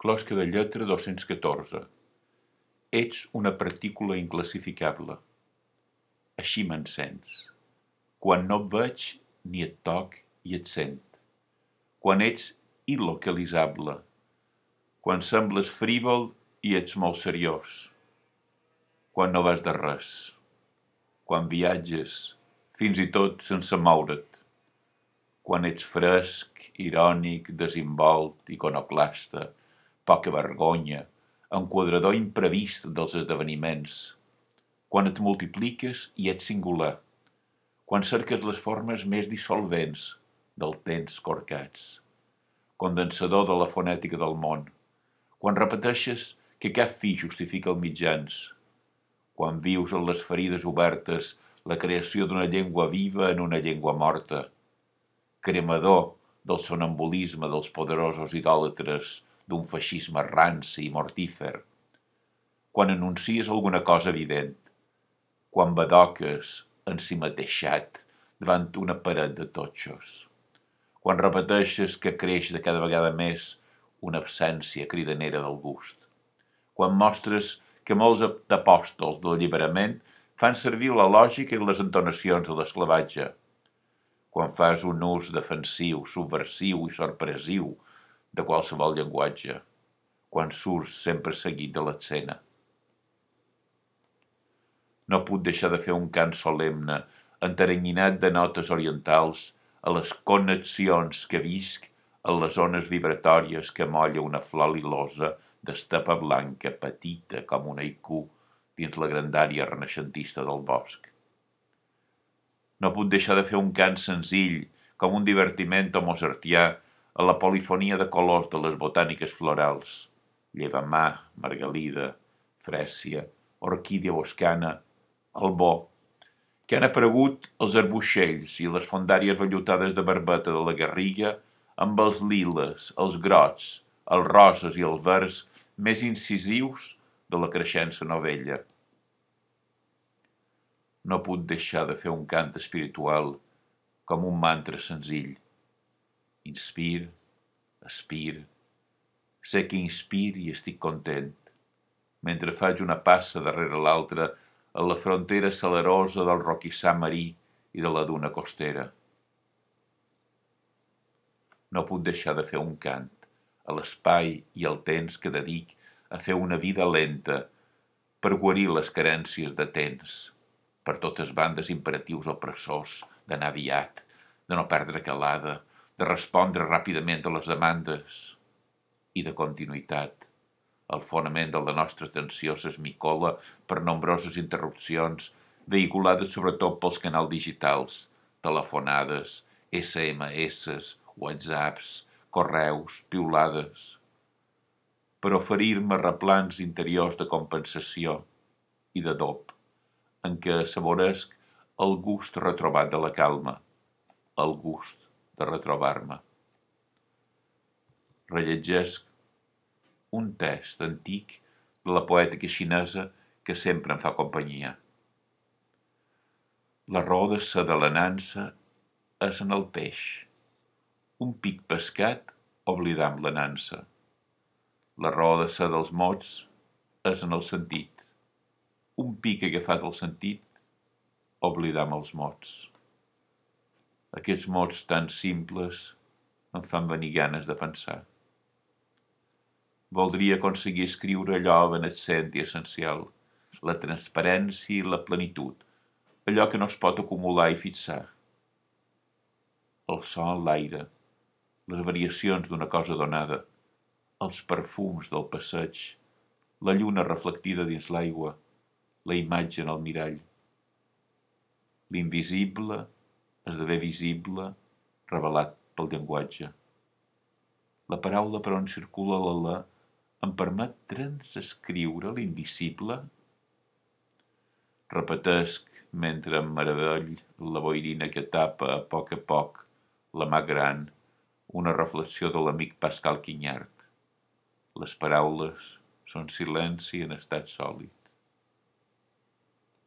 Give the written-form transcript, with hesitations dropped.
Closca de lletra 214. Ets una partícula inclassificable. Així m'encens. Quan no et veig, ni et toc i et sent. Quan ets il·localitzable. Quan sembles frívol i ets molt seriós. Quan no vas de res. Quan viatges, fins i tot sense moure't. Quan ets fresc, irònic, desinvolt, iconoclasta, poca vergonya, enquadrador imprevist dels esdeveniments. Quan et multipliques i ets singular. Quan cerques les formes més dissolvents del temps corcats. Condensador de la fonètica del món. Quan repeteixes que cap fi justifica els mitjans. Quan vius en les ferides obertes la creació d'una llengua viva en una llengua morta. Cremador del sonambulisme dels poderosos idòlatres d'un feixisme ranci i mortífer. Quan anuncies alguna cosa evident. Quan badoques ensimateixat davant una paret de totxos. Quan repeteixes que creix de cada vegada més una absència cridanera del gust. Quan mostres que molts apòstols de l'alliberament fan servir la lògica i les entonacions de l'esclavatge. Quan fas un ús defensiu, subversiu i sorpresiu de qualsevol llenguatge. Quan surts sempre seguit de l'escena. No puc deixar de fer un cant solemne, enteranyinat de notes orientals, a les connexions que visc en les ones vibratòries que molla una flor lilosa d'estepa blanca, petita com un haiku dins la grandària renaixentista del bosc. No puc deixar de fer un cant senzill, com un divertiment mozartià a la polifonia de colors de les botàniques florals, llevamà, margalida, frèsia, orquídia boscana, albó, que han aparegut els arbuixells i les fondàries vellutades de barbeta de la Garriga amb els liles, els grocs, els roses i els verds més incisius de la creixença novella. No puc deixar de fer un cant espiritual com un mantra senzill. Inspir, expir, sé que inspir i estic content, mentre faig una passa darrere l'altra a la frontera celerosa del roquissar marí i de la duna costera. No puc deixar de fer un cant a l'espai i el temps que dedic a fer una vida lenta per guarir les carències de temps, per totes bandes imperatius opressors d'anar aviat, de no perdre calada, de respondre ràpidament a les demandes i de continuïtat. El fonament de la nostra atenció s'esmicola per nombroses interrupcions vehiculades sobretot pels canals digitals, telefonades, SMS, whatsapps, correus, piulades, per oferir-me replans interiors de compensació i de dop, en què assaboresc el gust retrobat de la calma, el gust de retrobar-me. Rellegesc un text antic de la poètica xinesa que sempre em fa companyia. La raó de ser de la nansa és en el peix. Un pic pescat oblidam la nansa. La raó de ser dels mots és en el sentit. Un pic agafat al sentit oblidam els mots. Aquests mots tan simples em fan venir ganes de pensar. Voldria aconseguir escriure allò evanescent i essencial, la transparència i la plenitud, allò que no es pot acumular i fixar. El so en l'aire, les variacions d'una cosa donada, els perfums del passeig, la lluna reflectida dins l'aigua, la imatge en el mirall. L'invisible esdevé visible, revelat pel llenguatge. La paraula per on circula l'alè em permet transescriure l'indicible? Repetesc mentre em meravell la boirina que tapa a poc la mà gran, una reflexió de l'amic Pascal Quinyart. Les paraules són silenci en estat sòlid.